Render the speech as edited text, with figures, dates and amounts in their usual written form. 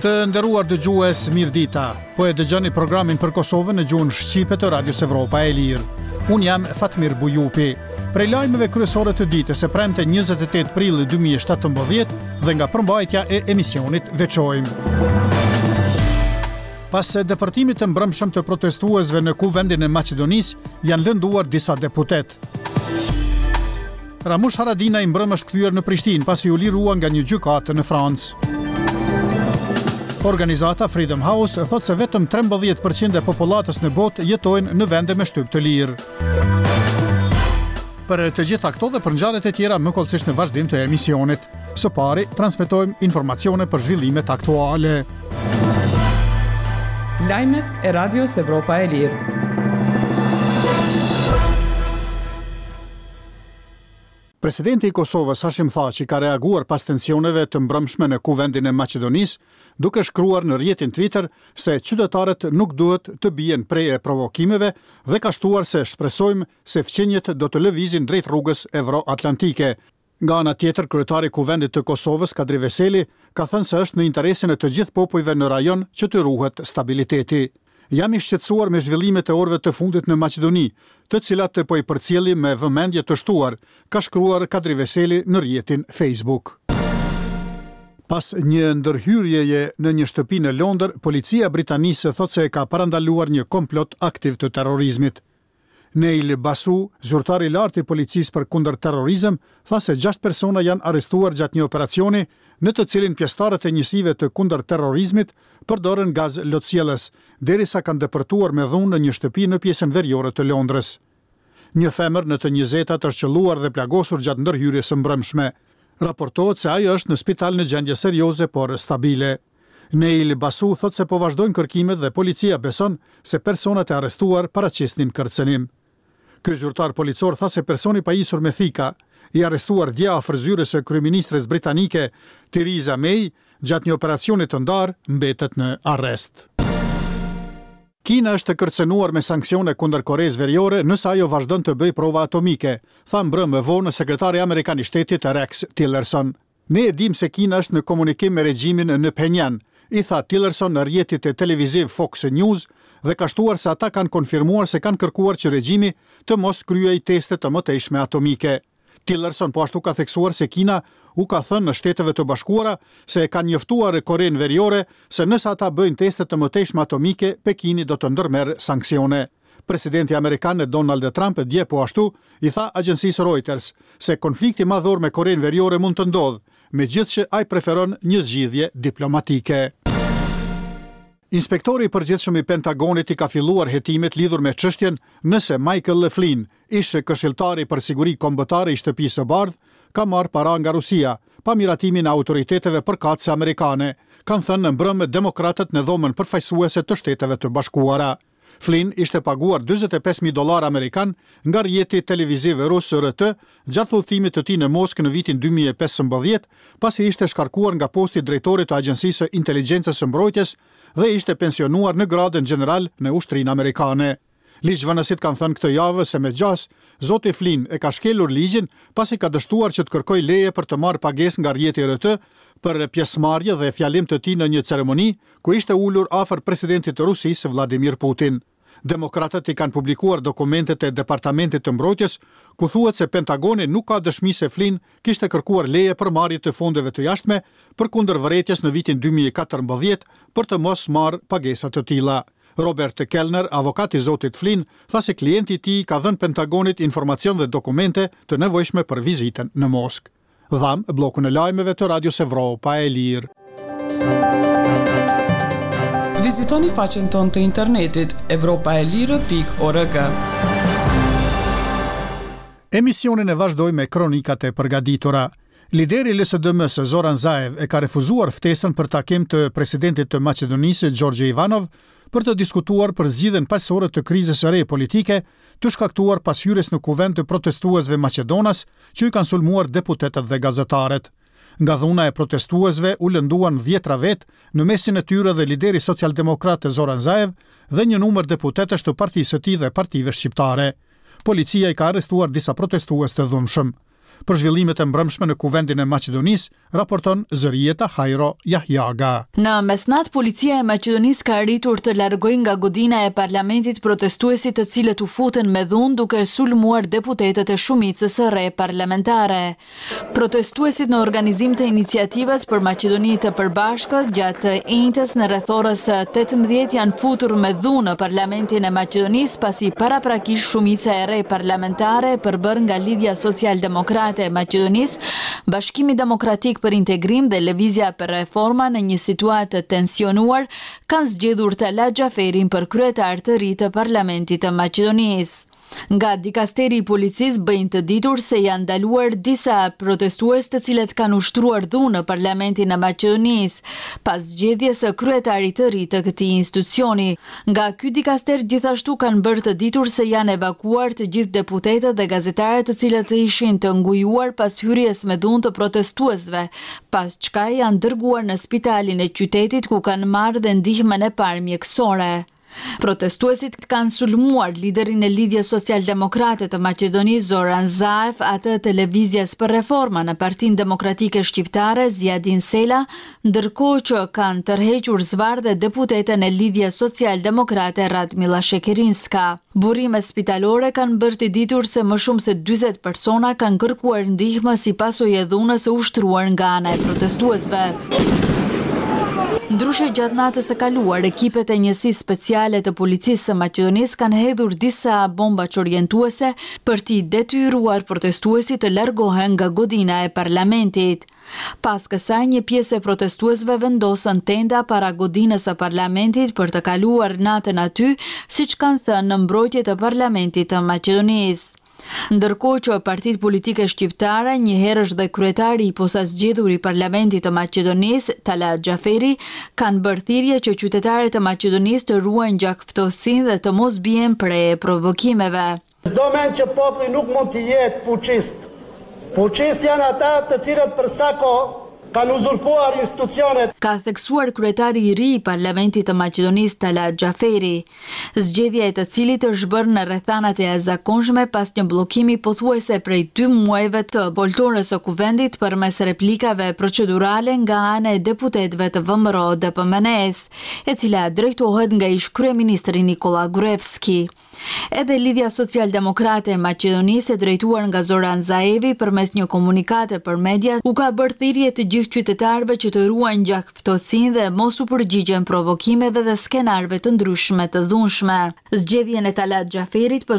Të nderuar dëgjues, mirëdita. Po e dëgjoni programin për Kosovën në gjuhën shqipe të Radios Evropa e Lirë. Unë jam Fatmir Bujupi. Prej lajmeve kryesore të ditës së premte 28 prill 2017 dhe nga përmbajtja e emisionit veçojmë. Pas depërtimit të mbrëmshëm të protestuesve në Kuvendin e Maqedonisë, janë lënduar disa deputetë. Ramush Haradinaj mbrëmë është kthyer në Prishtinë pasi u lirua nga një gjykatë në Francë. Organizata Freedom House thotë se vetëm 13% e popullatës në botë jetojnë në vende me shtyp të lirë. Për të gjitha këto dhe për ngjarjet e tjera më hollësisht në vazhdim të emisionit. Së pari, transmetojmë informacione për zhvillimet aktuale. Lajmet e Radios Evropa e Lirë. Presidenti i Kosovës, Hashim Thaçi, ka reaguar pas tensioneve të mbrëmshme në Kuvendin e Maqedonisë, duke shkruar në rrjetin Twitter se qytetarët nuk duhet të bien pre e provokimeve dhe ka shtuar se shpresojmë se fqinjët do të lëvizin drejt rrugës evroatlantike. Nga ana tjetër, kryetari i Kuvendit të Kosovës, Kadri Veseli, ka thënë se është në interesin e të gjithë popujve në rajon që të ruhet stabiliteti. Jam i shqetësuar me zhvillimet e orëve të fundit në Maqedoni, të cilat po i përcjellim me vëmendje të shtuar, ka shkruar Kadri Veseli në rrjetin Facebook. Pas një ndërhyrjeje në një shtëpi në Londër, policia e Britanisë thotë se e ka parandaluar një komplot aktiv të terrorizmit. Neil Basu, zyrtar i lartë i policisë për kundërterrorizëm, tha se gjashtë persona janë arrestuar gjatë një operacioni në të cilin pjesëtarët e njësive të kundërterrorizmit përdorën gaz lotsjellës, derisa kanë depërtuar me dhunë në një shtëpi në pjesën veriore të Londrës. Një femër në të njëzetat është qëlluar dhe plagosur gjatë ndërhyrjes së mbrëmshme. Raportohet se ajo është në spital në gjendje serioze, por stabile. Neil Basu thotë se po vazhdojnë kërkimet dhe policia beson se personat e arrestuar paraqisnin kërcënim. Ky zyrtar policor tha se personi i pajisur me thika, i arrestuar dje afër zyrës së kryeministres britanike Theresa May gjatë një operacioni të ndarë, mbetet në arrest. Kina është kërcënuar me sanksione kundër Koresë Veriore nëse ajo vazhdon të bëjë prova atomike, tha mbrëmë vonë sekretari amerikan i Shtetit Rex Tillerson. Ne e dimë se Kina është në komunikim me regjimin në Phenian, i tha Tillerson rrjetit televiziv Fox News dhe ka shtuar se ata kanë konfirmuar se kanë kërkuar që regjimi të mos kryejë teste të mëtejshme atomike. Tillerson po ashtu ka theksuar se Kina u ka thënë Shteteve të Bashkuara se e kanë njoftuar Korenë Veriore se nëse ata bëjnë teste të mëtejshme atomike, Pekini do të ndërmerr sanksione. Presidenti amerikan Donald Trump dje po ashtu i tha agjencisë Reuters se konflikti madhor me Korenë Veriore mund të ndodhë, megjithëqë ai preferon një zgjidhje diplomatike. Inspektori i Përgjithshëm i Pentagonit i ka filluar hetimet lidhur me çështjen nëse Michael Flynn, ish-këshilltari për siguri kombëtare i Shtëpisë së Bardhë, ka marrë para nga Rusia, pa miratimin e autoriteteve përkatëse amerikane, kanë thënë mbrëmë demokratët në Dhomën Përfaqësuese të Shteteve të Bashkuara. Flynn ishte paguar 45.000 dollarë amerikanë nga rrjeti televiziv rus RT gjatë udhëtimit të tij në Moskë në vitin 2015, pasi ishte shkarkuar nga posti i drejtorit të Agjencisë së Inteligjencës së Mbrojtjes dhe ishte pensionuar në gradën gjeneral në ushtrinë amerikane. Ligjvënësit kanë thënë këtë javë se me gjasë, zoti Flynn e ka shkelur ligjin pasi ka dështuar që të kërkojë leje për të marrë pagesë nga rrjeti RT për pjesëmarrje dhe fjalim të tij në një ceremoni ku ishte ulur afër presidentit të Rusisë, Vladimir Putin. Demokratët i kanë publikuar dokumentet e Departamentit të Mbrojtjes, ku thuhet se Pentagoni nuk ka dëshmi se Flynn kishte kërkuar leje për marrje të fondeve të jashtme, përkundër vërejtjes në vitin 2014 për të mos marrë pagesa të tilla. Robert Kellner, avokat i zotit Flynn, tha se klienti i tij i ka dhënë Pentagonit informacion dhe dokumente të nevojshme për vizitën në Moskë. Dhamë bllokun e lajmeve të Radios Evropa e Lirë. Vizitoni faqen tonë të internetit evropaelire.org. Emisionin e vazhdojmë me kronikat e përgatitura. Lideri i LSDM-së Zoran Zaev e ka refuzuar ftesën për takim të presidentit të Maqedonisë Gjorgje Ivanov për të diskutuar për zgjidhjen paqësore të krizës së re politike të shkaktuar pas hyrjes në kuvend të protestuesve maqedonas që i kanë sulmuar deputetët dhe gazetarët. Nga dhuna e protestuesve u lënduan dhjetra vetë, në mesin e tyre dhe lideri socialdemokrat Zoran Zaev dhe një numër deputetësh të partisë së tij dhe partive shqiptare. Policia i ka arrestuar disa protestues të dhunshëm. Për zhvillimet e mbrëmshme në Kuvendin e Maqedonisë, raporton Zërijeta Hajro Jahjaga. Në mesnatë, policia e Maqedonisë ka arritur të largojë nga godina e parlamentit protestuesit të cilët u futën me dhunë duke sulmuar deputetët e shumicës së re parlamentare. Protestuesit në organizim të iniciativës për Maqedoni të Përbashkët gjatë të enjtes në rreth orës 18 janë futur me dhunë në Parlamentin e Maqedonisë pasi paraprakisht shumica e re parlamentare e përbërë nga Lidhja Socialdemokrate e Maqedonisë, Bashkimi Demokratik për Integrim dhe Lëvizja për Reforma në një situatë të tensionuar kanë zgjedhur Talat Xhaferin për kryetar të ri të Parlamentit të Maqedonisë. Nga dikasteri i policisë bëjnë të ditur se janë ndaluar disa protestues të cilët kanë ushtruar dhunë në Parlamentin e Maqedonisë, pas zgjedhjes së kryetarit të ri të këtij institucioni. Nga ky dikaster gjithashtu kanë bërë të ditur se janë evakuuar të gjithë deputetët dhe gazetarët të cilët ishin të ngujuar pas hyrjes me dhunë të protestuesve, pas çka janë dërguar në spitalin e qytetit ku kanë marrë dhe ndihmën e parë mjekësore. Protestuesit kanë sulmuar liderin e Lidhjes Socialdemokrate të Maqedonisë, Zoran Zaev, atë të Lëvizjes për Reforma në Partinë Demokratike Shqiptare, Ziadin Sela, ndërkohë që kanë tërhequr zvarrë dhe deputeten e Lidhjes Socialdemokrate Radmilla Shekerinska. Burime spitalore kanë bërë të ditur se më shumë se 40 persona kanë kërkuar ndihmë si pasojë e dhunës së ushtruar nga ana e protestuesve. Ndryshe gjatë natës së kaluar, ekipet e njësisë speciale të policisë së Maqedonisë kanë hedhur disa bomba çorientuese për t'i detyruar protestuesit të largohen nga godina e parlamentit. Pas kësaj, një pjesë e protestuesve vendosën tenda para godinës së parlamentit për të kaluar natën aty, siç kanë thënë në mbrojtje të parlamentit të Maqedonisë. Ndërkohë që partitë politike shqiptare, njëherësh dhe kryetari i posazgjedhur i Parlamentit të Maqedonisë, Talat Xhaferi, kanë bërë thirrje që qytetarët e Maqedonisë të ruajnë gjakftohtësinë dhe të mos bien pre e provokimeve. S'do mend që populli nuk mund të jetë puçist. Puçistë janë ata të cilët për sa kohë kanë uzurpuar institucionet. Ka theksuar kryetari i ri i Parlamentit të Maqedonisë Talat Xhaferi, zgjedhja e të cilit është bërë në rrethana të jashtëzakonshme pas një bllokimi pothuajse prej dy muajve të foltores së Kuvendit përmes replikave procedurale nga ana e deputetëve të VMRO-DPMNE-së, e cila drejtohet nga ish-kryeministri Nikolla Gruevski. Edhe Lidhja Socialdemokrate e Maqedonisë e drejtuar nga Zoran Zaevi përmes një komunikate për media u ka bërë thirrje të gjithë qytetarëve që të ruajnë gjakftohtësinë dhe mos u përgjigjen provokimeve dhe skenarëve të ndryshme të dhunshme. Zgjedhjen e Talat Xhaferit për.